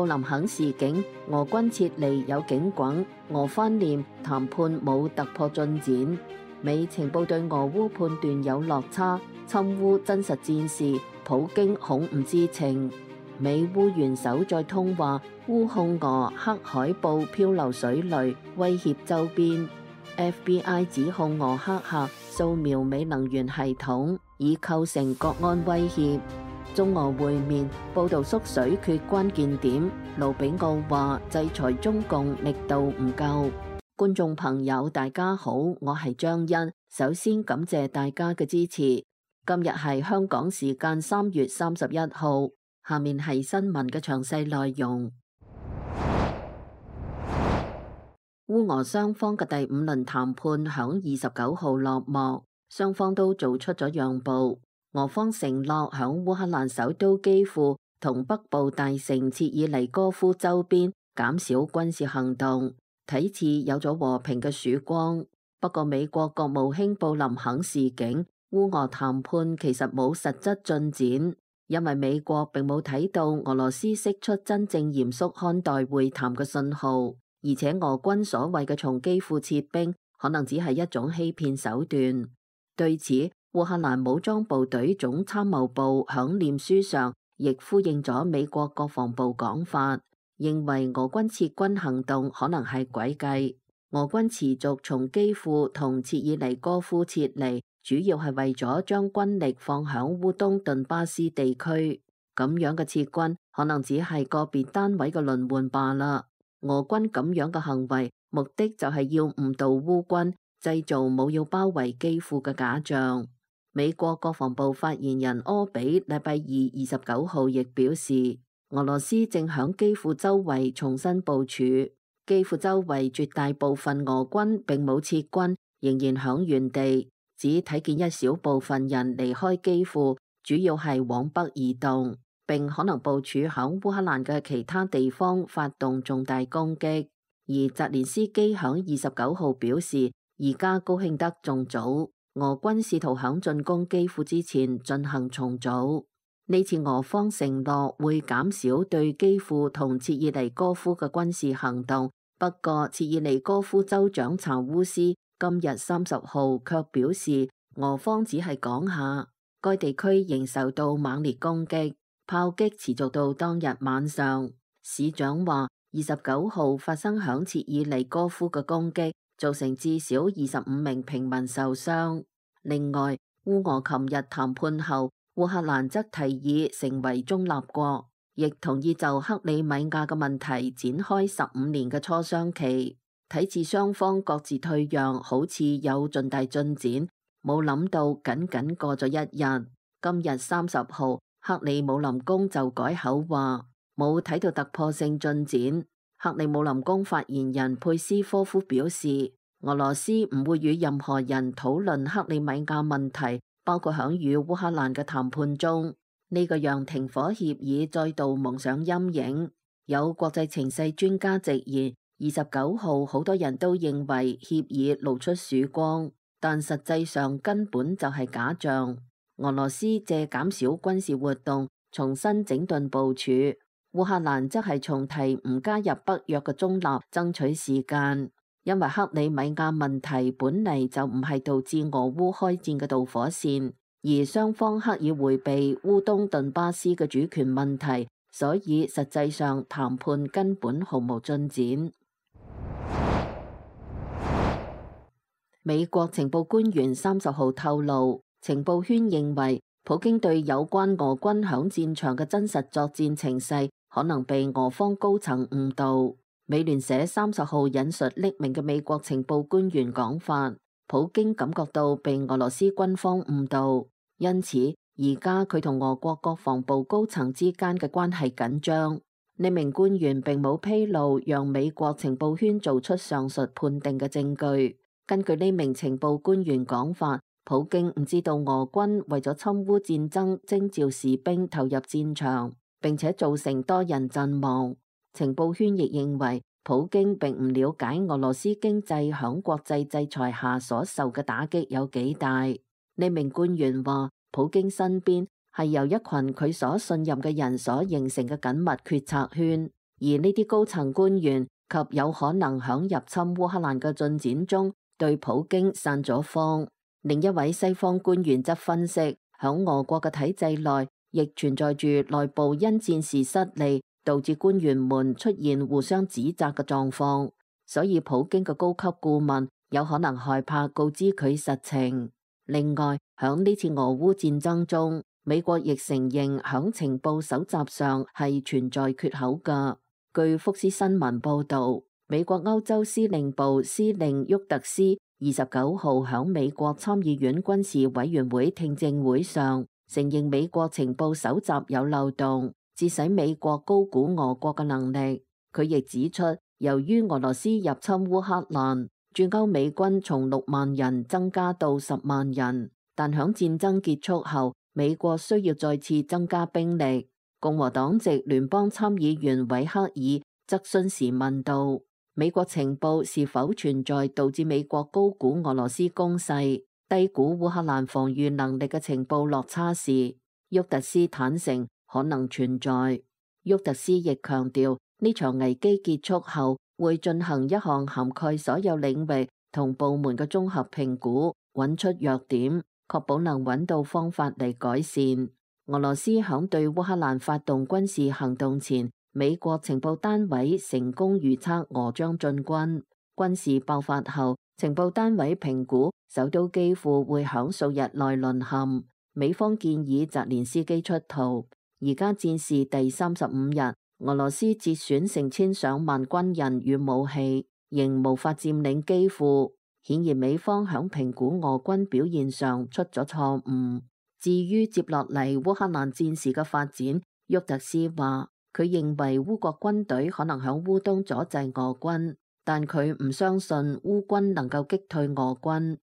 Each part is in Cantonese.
林肯示警，俄軍撤離有警棍，俄方念談判冇突破進展。美情報對俄烏判斷有落差，侵烏真實戰事，普京恐唔知情。美烏元首再通話，烏控俄黑海布漂流水雷，威脅周邊。FBI 指控俄黑客掃描美能源系統，以構成國安威脅。中俄會面報道縮水缺關鍵點，盧比奧話制裁中共力度唔夠。觀眾朋友大家好，我係張欣，首先感謝大家嘅支持。今日係香港時間3月31號，下面係新聞嘅詳細內容。烏俄雙方嘅第5輪談判響29號落幕，雙方都做出咗讓步。俄方承諾響烏克蘭首都基輔同北部大城切爾尼戈夫周邊減少軍事行動，睇似有咗和平嘅曙光。不過美國國務卿布林肯示警，烏俄談判其實冇實質進展，因為美國並冇睇到俄羅斯釋出真正嚴肅看待會談嘅信號。而且俄軍所謂嘅從基輔撤兵，可能只係一種欺騙手段。對此，烏克蘭武裝部隊總參謀部響臉書上亦呼應咗美國國防部講法，認為俄軍撤軍行動可能係詭計。俄軍持續從基輔同切爾尼戈夫撤離，主要係為咗將軍力放響烏東頓巴斯地區。咁樣嘅撤軍可能只係個別單位嘅輪換罷啦。俄軍咁樣嘅行為，目的就係要誤導烏軍，製造冇要包圍基輔嘅假象。美國國防部發言人柯比禮拜二29號亦表示，俄羅斯正響基輔周圍重新部署，基輔周圍絕大部分俄軍並冇撤軍，仍然響原地，只睇見一小部分人離開基輔，主要係往北移動。並可能部署響烏克蘭嘅其他地方發動重大攻擊，而澤連斯基響29號表示，而家高興得仲早，俄軍試圖響進攻基輔之前進行重組。呢次俄方承諾會減少對基輔同切爾尼戈夫嘅軍事行動，不過切爾尼戈夫州長查烏斯今日30號卻表示，俄方只係講下，該地區仍受到猛烈攻擊。炮擊持續到當日晚上，市長話29號發生響切爾尼戈夫嘅攻擊，造成至少25名平民受傷。另外，烏俄琴日談判後，烏克蘭則提議成為中立國，亦同意就克里米亞嘅問題展開15年嘅磋商期。睇似雙方各自退讓，好似有重大進展，冇諗到僅過咗一日，今日30號。克里姆林宮就改口話冇睇到突破性進展。克里姆林宮發言人佩斯科夫表示，俄羅斯唔會與任何人討論克里米亞問題，包括響與烏克蘭嘅談判中。呢個讓停火協議再度蒙上陰影。有國際情勢專家直言，29號好多人都認為協議露出曙光，但實際上根本就係假象。俄羅斯借減少軍事活動，重新整頓部署；烏克蘭則係從提唔加入北約嘅中立爭取時間，因為克里米亞問題本嚟就唔係導致俄烏開戰嘅導火線，而雙方刻意迴避烏東頓巴斯嘅主權問題，所以實際上談判根本毫無進展。美國情報官員30號透露，情報圈認為，普京對有關俄軍響戰場嘅真實作戰情勢可能被俄方高層誤導。美聯社30號引述匿名嘅美國情報官員講法，普京感覺到被俄羅斯軍方誤導，因此而家佢同俄國國防部高層之間嘅關係緊張。呢名官員並冇披露讓美國情報圈做出上述判定嘅證據。根據呢名情報官員講法，普京唔知道俄軍為咗侵烏戰爭徵召士兵投入戰場，並且造成多人陣亡。情報圈亦認為普京並唔了解俄羅斯經濟響國際制裁下所受嘅打擊有幾大。呢名官員話，普京身邊係由一群佢所信任嘅人所形成嘅緊密決策圈，而呢啲高層官員及有可能響入侵烏克蘭嘅進展中對普京散咗風。另一位西方官員則分析，響俄國嘅體制內亦存在住內部因戰事失利導致官員們出現互相指責嘅狀況，所以普京嘅高級顧問有可能害怕告知佢實情。另外，響呢次俄烏戰爭中，美國亦承認響情報搜集上係存在缺口㗎。據福斯新聞報導，美國歐洲司令部司令沃特斯29號響美國參議院軍事委員會聽證會上承認美國情報搜集有漏洞，致使美國高估俄國嘅能力。佢亦指出，由於俄羅斯入侵烏克蘭，駐歐美軍從6萬人增加到10萬人，但響戰爭結束後，美國需要再次增加兵力。共和黨籍聯邦參議員韋克爾質詢時問道，美國情報是否存在導致美國高估俄羅斯攻勢、低估烏克蘭防禦能力嘅情報落差時，沃特斯坦承可能存在。沃特斯亦強調，呢場危機結束後會進行一項涵蓋所有領域同部門嘅綜合評估，揾出弱點，確保能揾到方法嚟改善。俄羅斯響對烏克蘭發動軍事行動前，美國情報單位成功預測俄將進軍。軍事爆發後，情報單位評估首都基輔會響數日內淪陷。美方建議澤連斯基出逃。而家戰事第35日，俄羅斯折損成千上萬軍人與武器，仍無法佔領基輔。顯然美方響評估俄軍表現上出咗錯誤。至於接落嚟烏克蘭戰事嘅發展，沃特斯話佢認為烏國軍隊可能響烏東阻滯俄軍，但佢唔相信烏軍能夠擊退俄軍。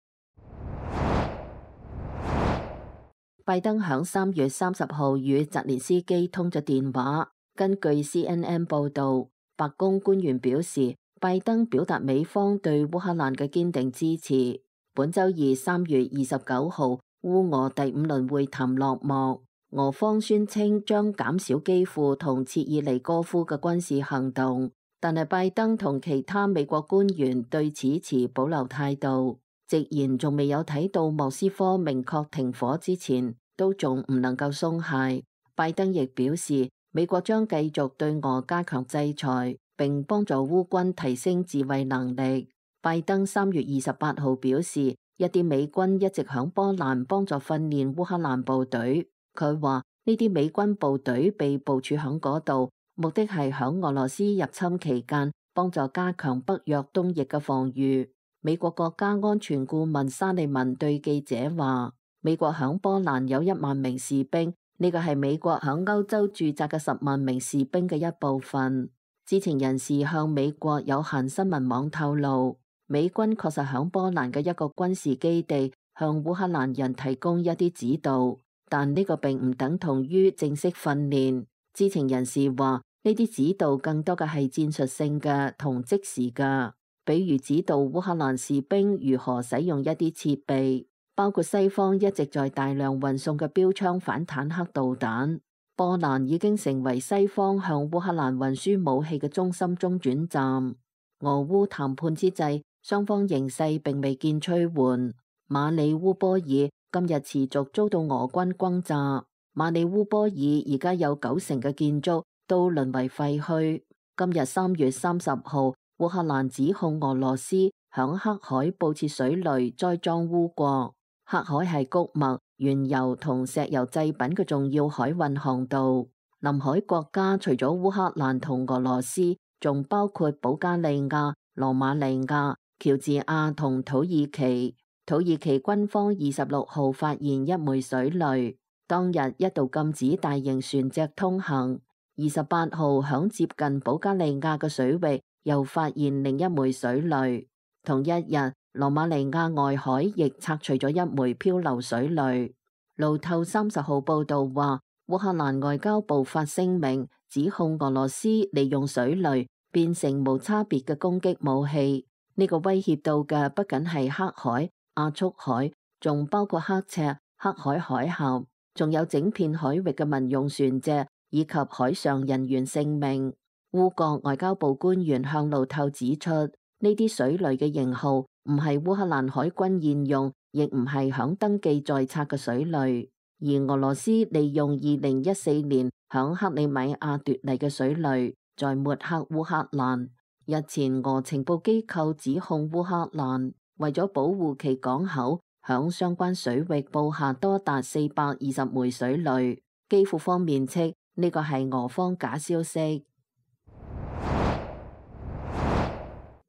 拜登響3月30號與澤連斯基通咗電話。根據 CNN 報導，白宮官員表示，拜登表達美方對烏克蘭嘅堅定支持。本週二3月29號，烏俄第5輪會談落幕，俄方宣稱將減少基輔同切爾尼戈夫嘅軍事行動，但係拜登同其他美國官員對此持保留態度，直言仲未有睇到莫斯科明確停火之前，都仲唔能夠鬆懈。拜登亦表示，美國將繼續對俄加強制裁，並幫助烏軍提升自衛能力。拜登3月28號表示，一啲美軍一直響波蘭幫助訓練烏克蘭部隊。佢話呢啲美軍部隊被部署響嗰度，目的係響俄羅斯入侵期間幫助加強北約東翼嘅防禦。美國國家安全顧問沙利文對記者話，美國響波蘭有1萬名士兵，呢個係美國響歐洲駐紮嘅10萬名士兵嘅一部分。知情人士向美國有限新聞網透露，美軍確實響波蘭嘅一個軍事基地向烏克蘭人提供一啲指導，但呢個並唔等同於正式訓練。知情人士話，呢啲指導更多嘅係戰術性嘅同即時嘅，比如指導烏克蘭士兵如何使用一啲設備，包括西方一直在大量運送嘅標槍反坦克導彈。波蘭已經成為西方向烏克蘭運輸武器嘅中心中轉站。俄烏談判之際，雙方形勢並未見趨緩。馬里烏波爾今日持續遭到俄軍轟炸。馬里烏波爾而家有90%嘅建築都淪為廢墟。今日3月30號，烏克蘭指控俄羅斯響黑海布設水雷栽贓烏國。黑海係穀物、原油同石油製品嘅重要海運航道。臨海國家除咗烏克蘭同俄羅斯，仲包括保加利亞、羅馬尼亞、喬治亞同土耳其。土耳其軍方26號發現一枚水雷，當日一度禁止大型船隻通行。28號響接近保加利亞嘅水域又發現另一枚水雷。同一日，羅馬尼亞外海亦拆除咗一枚漂流水雷。路透30號報道話，烏克蘭外交部發聲明指控俄羅斯利用水雷變成無差別嘅攻擊武器。呢個威脅到嘅不僅係黑海、亞速海，仲包括刻赤、黑海海峽，仲有整片海域嘅民用船隻以及海上人員性命。烏國外交部官員向路透指出，呢啲水雷嘅型號唔係烏克蘭海軍現用，亦唔係響登記在冊嘅水雷，而俄羅斯利用2014年響克里米亞奪嚟嘅水雷，在抹黑烏克蘭。日前俄情報機構指控烏克蘭為咗保護其港口，響相關水域布下多達420枚水雷。基輔方面稱呢個係俄方假消息。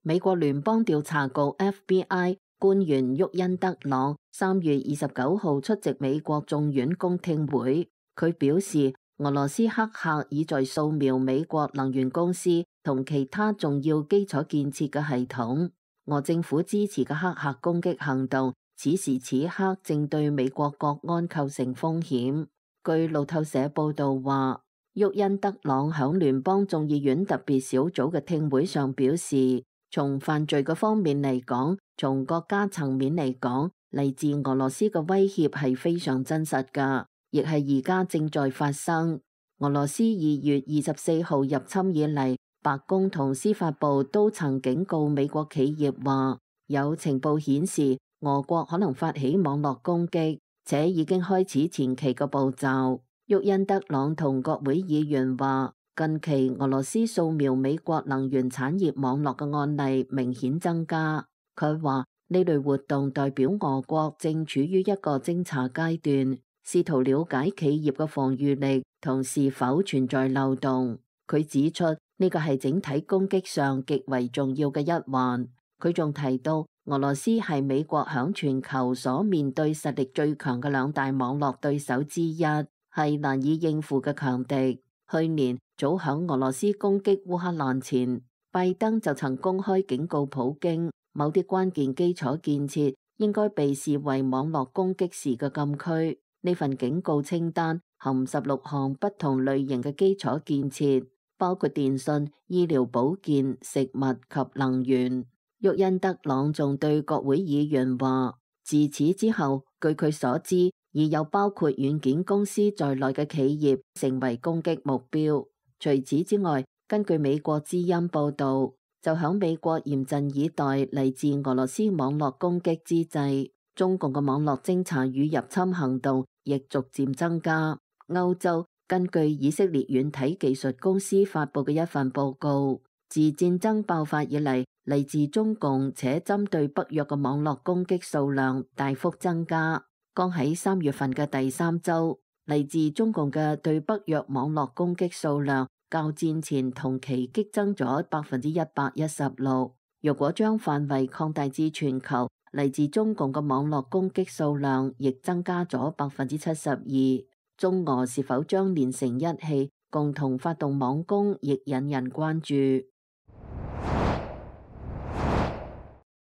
美國聯邦調查局 FBI 官員沃恩德朗3月29號出席美國眾院公聽會，佢表示俄羅斯黑客已在掃描美國能源公司同其他重要基礎建設嘅系統。俄政府支持嘅黑客攻擊行動此時此刻正對美國國安構成風險。據路透社報道話，沃恩德朗響聯邦眾議院特別小組嘅聽會上表示，從犯罪嘅方面嚟講，從國家層面嚟講，嚟自俄羅斯嘅威脅係非常真實㗎，亦係而家正在發生。俄羅斯2月24號入侵以嚟，白宮同司法部都曾警告美國企業話，有情報顯示俄國可能發起網絡攻擊，且已經開始前期嘅步驟。沃恩德朗同國會議員話，近期俄羅斯掃描美國能源產業網絡嘅案例明顯增加。佢話呢類活動代表俄國正處於一個偵查階段，試圖了解企業嘅防禦力同是否存在漏洞。佢指出呢個係整體攻擊上極為重要嘅一環。佢仲提到俄羅斯係美國響全球所面對實力最強嘅2大網絡對手之一，係難以應付嘅強敵。去年早響俄羅斯攻擊烏克蘭前，拜登就曾公開警告普京，某啲關鍵基礎建設應該被視為網絡攻擊時嘅禁區。呢份警告清單含16項不同類型嘅基礎建設，包括電信、醫療保健、食物及能源。沃恩德朗仲對國會議員話，自此之後，據佢所知，已有包括軟件公司在內嘅企業成為攻擊目標。除此之外，根據美國之音報道，就響美國嚴陣以待嚟自俄羅斯網絡攻擊之際，中共嘅網絡偵查與入侵行動亦逐漸增加。歐洲根據以色列軟體技術公司發布嘅一份報告，自戰爭爆發以嚟，嚟自中共且針對北約嘅網絡攻擊數量大幅增加。剛喺3月份嘅第3週，嚟自中共嘅對北約網絡攻擊數量較戰前同期激增咗116%。若果將範圍擴大至全球，嚟自中共嘅網絡攻擊數量亦增加咗72%。中俄是否將連成一氣，共同發動網攻，亦引人關注。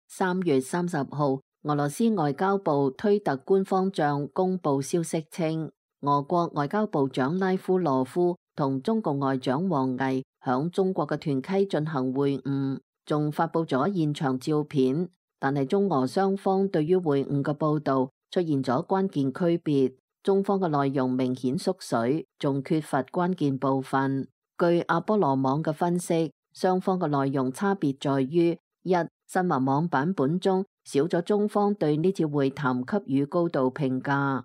3月30號。俄羅斯外交部推特官方帳公布消息稱，俄國外交部長拉夫羅夫同中共外長王毅響中國嘅團溪進行會晤，仲發布咗現場照片。但係中俄雙方對於會晤嘅報道出現咗關鍵區別，中方嘅內容明顯縮水，仲缺乏關鍵部分。據阿波羅網嘅分析，雙方嘅內容差別在於：一、新華網版本中少咗中方對呢次會談給予高度評價；二、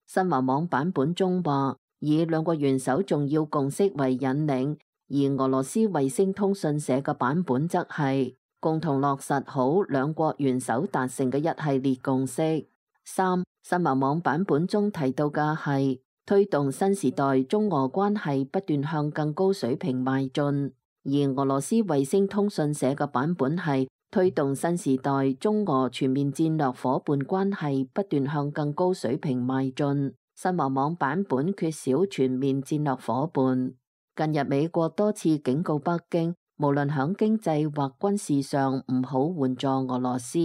新華網版本中話以兩國元首重要共識為引領，而俄羅斯衛星通訊社嘅版本則係共同落實好兩國元首達成嘅一系列共識。三、新華網版本中提到嘅係推動新時代中俄關係不斷向更高水平邁進，而俄羅斯衛星通訊社嘅版本係推動新時代中俄全面戰略夥伴關係不斷向更高水平邁進。新華網版本缺少全面戰略夥伴。近日美國多次警告北京，無論響經濟或軍事上唔好援助俄羅斯，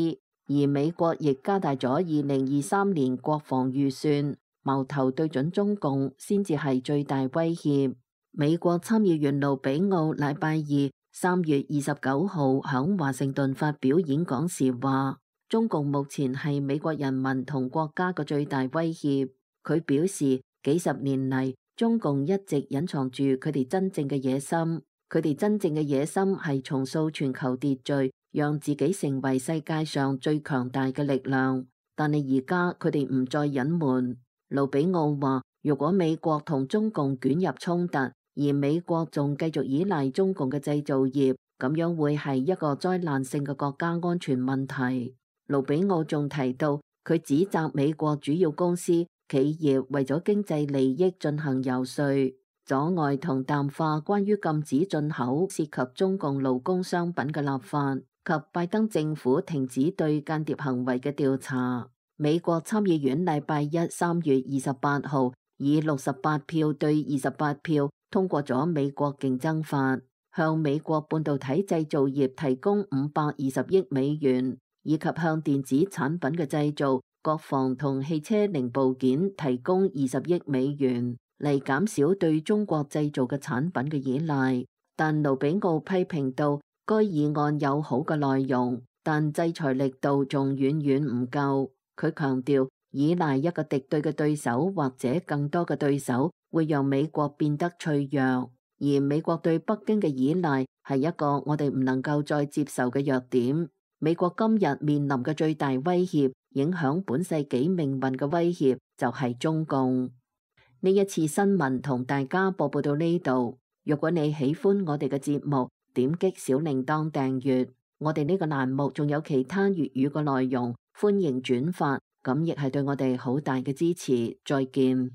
而美國亦加大咗2023年國防預算，矛頭對準中共先至係最大威脅。美國參議員盧比奧禮拜二3月29號響華盛頓發表演講時話，中共目前係美國人民同國家嘅最大威脅。佢表示，幾十年嚟，中共一直隱藏住佢哋真正嘅野心。佢哋真正嘅野心係重塑全球秩序，讓自己成為世界上最強大嘅力量。但係而家佢哋唔再隱瞞。盧比奧話：如果美國同中共捲入衝突，而美國仲繼續依賴中共嘅製造業，咁樣會係一個災難性嘅國家安全問題。盧比奧仲提到，佢指責美國主要公司企業為咗經濟利益進行遊說，阻礙同淡化關於禁止進口涉及中共勞工商品嘅立法，及拜登政府停止對間諜行為嘅調查。美國參議院禮拜一3月28號以68票對28票通過咗美國競爭法，向美國半導體製造業提供520億美元，以及向電子產品嘅製造、國防同汽車零部件提供20億美元，嚟減少對中國製造嘅產品嘅依賴。但盧比奧批評到，該議案有好嘅內容，但制裁力度仲遠遠唔夠。佢強調，依賴一個敵對嘅對手或者更多嘅對手，會讓美國變得脆弱，而美國對北京嘅依賴係一個我哋唔能夠再接受嘅弱點。美國今日面臨嘅最大威脅，影響本世紀命運嘅威脅，就係中共。呢一次新聞同大家播報到呢度。如果你喜歡我哋嘅節目，點擊小鈴鐺訂閱。我哋呢個欄目仲有其他粵語嘅內容，歡迎轉發，咁亦係對我哋好大嘅支持。再見。